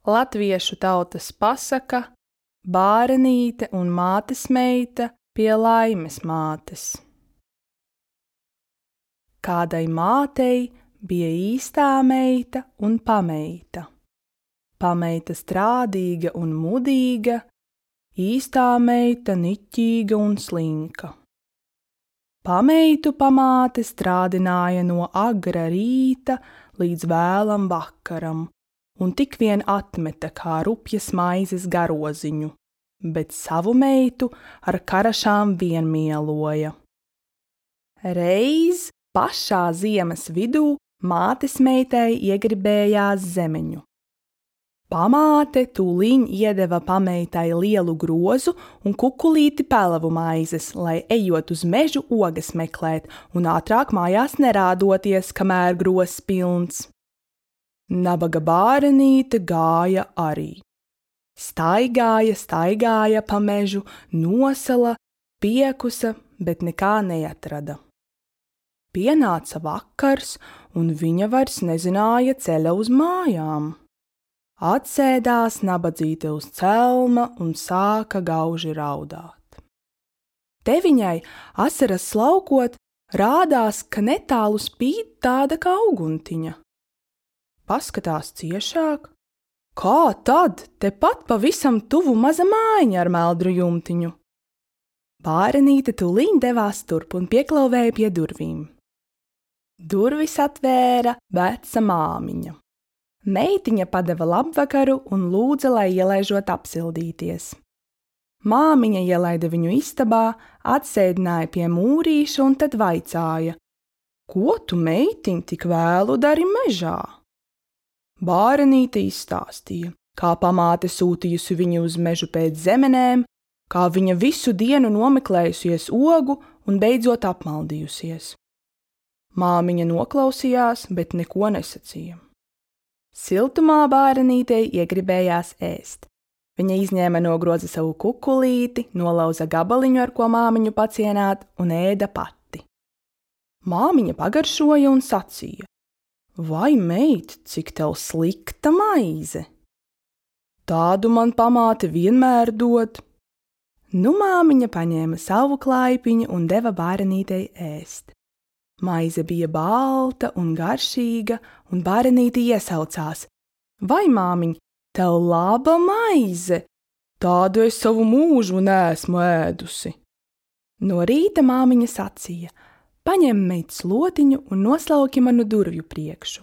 Latviešu tautas pasaka Bārenīte un mātes meita pie Laimes mātes. Kādai mātei bija īstā meita un pameita. Pameita strādīga un mudīga, īstā meita niķīga un slinka. Pameitu pamāte strādināja no agra rīta līdz vēlam vakaram, un tik vien atmeta kā rupjas maizes garoziņu, bet savu meitu ar karašām vien mieloja. Reiz pašā ziemas vidū mātes meitai iegribējās zemeņu. Pamāte tūliņ iedeva pameitai lielu grozu un kukulīti pelavu maizes, lai ejot uz mežu ogas meklēt un ātrāk mājās nerādoties, kamēr grozs pilns. Nabaga Bārenīte gāja arī. Staigāja pa mežu, nosala, piekusa, bet nekā neatrada. Pienāca vakars, un viņa vairs nezināja ceļa uz mājām. Atsēdās nabadzīte uz celma un sāka gauži raudāt. Te viņai, asaras slaukot, rādās, ka netālu spīd tāda kā uguntiņa. Paskatās ciešāk. Kā tad? Tepat pavisam tuvu maza mājiņa ar meldru jumtiņu. Bārenīte tūliņ devās turp un pieklauvēja pie durvīm. Durvis atvēra veca māmiņa. Meitiņa padeva labvakaru un lūdza, lai ielaižot apsildīties. Māmiņa ielaida viņu istabā, atsēdināja pie mūrīša un tad vaicāja: Ko tu, meitiņ, tik vēlu dari mežā? Bārenīte izstāstīja, kā pamāte sūtījusi viņu uz mežu pēc zemenēm, kā viņa visu dienu nomeklējusies ogu un beidzot apmaldījusies. Māmiņa noklausījās, bet neko nesacīja. Siltumā Bārenītei iegribējās ēst. Viņa izņēma no groza savu kukulīti, nolauza gabaliņu, ar ko māmiņu pacienāt, un ēda pati. Māmiņa pagaršoja un sacīja: Vai, meit, cik tev slikta maize? Tādu man pamāte vienmēr dod. Nu māmiņa paņēma savu klaipiņu un deva Bārenītei ēst. Maize bija balta un garšīga, un Bārenīte iesaucās: Vai, māmiņ, tev laba maize? Tādu es savu mūžu neesmu ēdusi. No rīta māmiņa sacīja: Paņem, meit, slotiņu un noslauki manu durvju priekšu.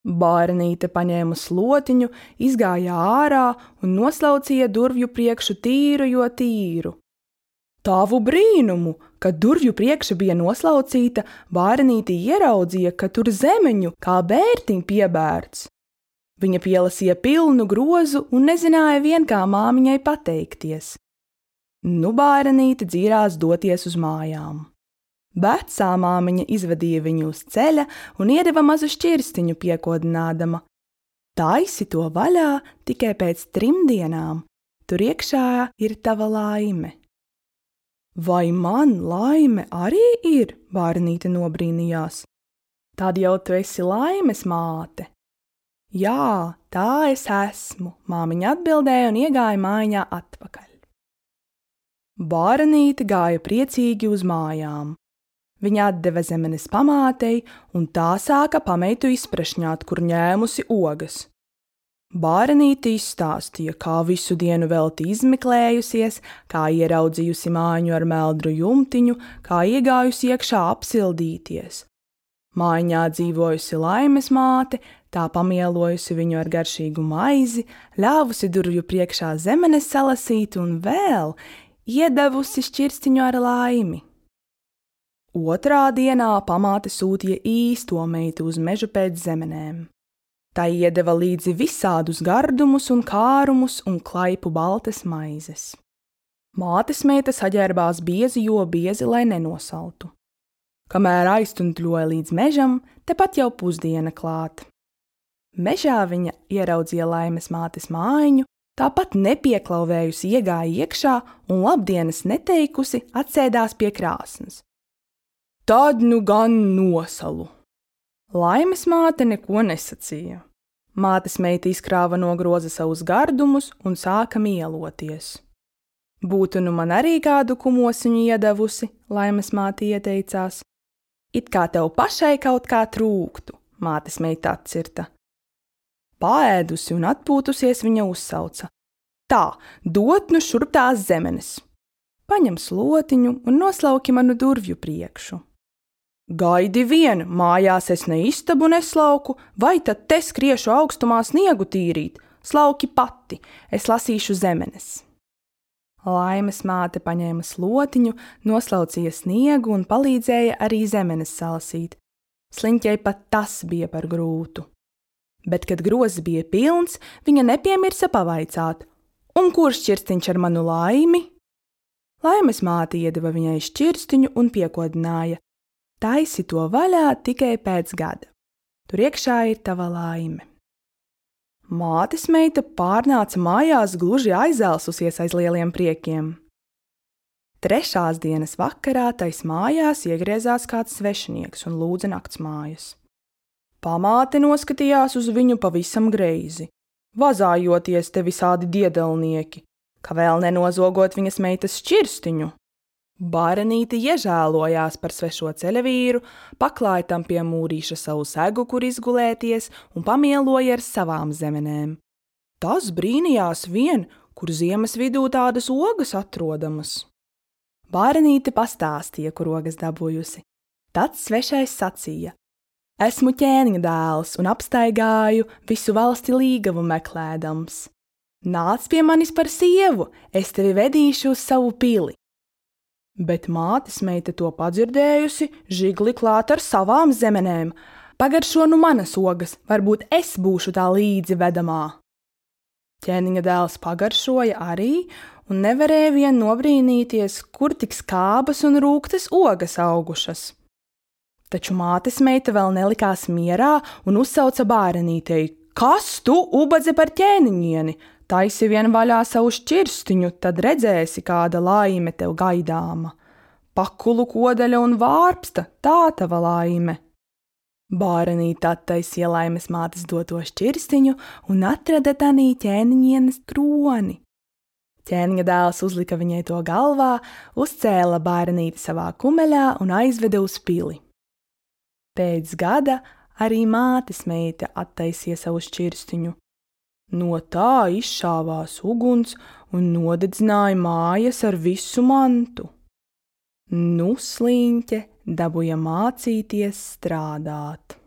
Bārenīte paņēma slotiņu, izgāja ārā un noslaucīja durvju priekšu tīru, jo tīru. Tavu brīnumu, kad durvju priekša bija noslaucīta, Bārenīte ieraudzīja, ka tur zemeņu kā bērtiņ piebērts. Viņa pielasīja pilnu grozu un nezināja vien, kā māmiņai pateikties. Nu Bārenīte dzīrās doties uz mājām. Vecā māmiņa izvedīja viņu uz ceļa un iedeva mazu šķirstiņu piekodinādama: Taisi to vaļā tikai pēc 3 dienām, tur iekšā ir tava laime. Vai man laime arī ir? Bārenīte nobrīnījās. Tad jau tu esi Laimes māte. Jā, tā es esmu, māmiņa atbildēja un iegāja mājiņā atpakaļ. Bārenīte gāja priecīgi uz mājām. Viņa atdeva zemenes pamātei, un tā sāka pameitu izprešņāt, kur ņēmusi ogas. Bārenīte izstāstīja, kā visu dienu velti izmeklējusies, kā ieraudzījusi mājiņu ar meldru jumtiņu, kā iegājusi iekšā apsildīties. Mājiņā dzīvojusi Laimes māte, tā pamielojusi viņu ar garšīgu maizi, ļāvusi durvju priekšā zemenes salasīt un vēl iedevusi šķirstiņu ar laimi. Otrā dienā pamāte sūtīja īsto meitu uz mežu pēc zemenēm. Tā iedeva līdzi visādus gardumus un kārumus un klaipu baltas maizes. Mātes meita saģērbās biezi, jo biezi, lai nenosaltu. Kamēr aiztuntuļoja līdz mežam, tepat jau pusdiena klāt. Mežā viņa ieraudzīja Laimes mātes mājiņu, tāpat nepieklauvējusi iegāja iekšā un labdienas neteikusi atsēdās pie krāsnes. Tad nu gan nosalu. Laimes māte neko nesacīja. Mātes meita izkrāva no groza savus gardumus un sāka mieloties. Būtu nu man arī kādu kumosiņu iedevusi, Laimes māte ieteicās. It kā tev pašai kaut kā trūktu, mātes meita atcirta. Paēdusi un atpūtusies viņa uzsauca. Tā, dot nu šurp tās zemenes. Paņem slotiņu un noslauki manu durvju priekšu. Gaidi vien, mājās es ne istabu neslauku, vai tad te skriešu augstumā sniegu tīrīt, slauki pati, es lasīšu zemenes. Laimes māte paņēma slotiņu, noslaucīja sniegu un palīdzēja arī zemenes salasīt. Sliņķei pat tas bija par grūtu. Bet, kad grozs bija pilns, viņa nepiemirsa pavaicāt, un kurš šķirstiņš ar manu laimi? Laimes māte iedeva viņai šķirstiņu un piekodināja. Taisi to vaļā tikai pēc gada. Tur iekšā ir tava laime. Mātes meita pārnāca mājās gluži aizelsusies aiz lieliem priekiem. 3. dienas vakarā tais mājās iegriezās kāds svešinieks un lūdza naktsmājas. Pamāte noskatījās uz viņu pavisam greizi, vazājoties te visādi diedelnieki, ka vēl nenozogot viņas meitas šķirstiņu. Bārenīte iežēlojās par svešo ceļavīru, paklāja tam pie mūrīša savu segu, kur izgulēties, un pamieloja ar savām zemenēm. Tas brīnījās vien, kur ziemas vidū tādas ogas atrodamas. Bārenīte pastāstīja, kur ogas dabūjusi. Tad svešais sacīja: Esmu ķēniņa dēls un apstaigāju visu valsti līgavu meklēdams. Nāc pie manis par sievu, es tevi vedīšu uz savu pili. Bet mātes meita to padzirdējusi, žigli klāt ar savām zemenēm. Pagaršo nu manas ogas, varbūt es būšu tā līdzi vedamā. Ķēniņa dēls pagaršoja arī un nevarēja vien nobrīnīties, kur tik skābas un rūktas ogas augušas. Taču mātes meita vēl nelikās mierā un uzsauca bārenītei: Kas tu, ubadze par ķēniņieni? Taisi vien vaļā savu šķirstiņu, tad redzēsi, kāda laime tev gaidāma. Pakulu kodaļa un vārpsta, tā tava laime. Bārenīte attaisīja Laimes mātes doto šķirstiņu un atrada tanī ķēniņienes kroni. Ķēniņa dēls uzlika viņai to galvā, uzcēla bārenīti savā kumeļā un aizveda uz pili. Pēc gada arī mātes meita attaisīja savu šķirstiņu. No tā izšāvās uguns un nodedzināja mājas ar visu mantu. Nu, sliņķe dabūja mācīties strādāt.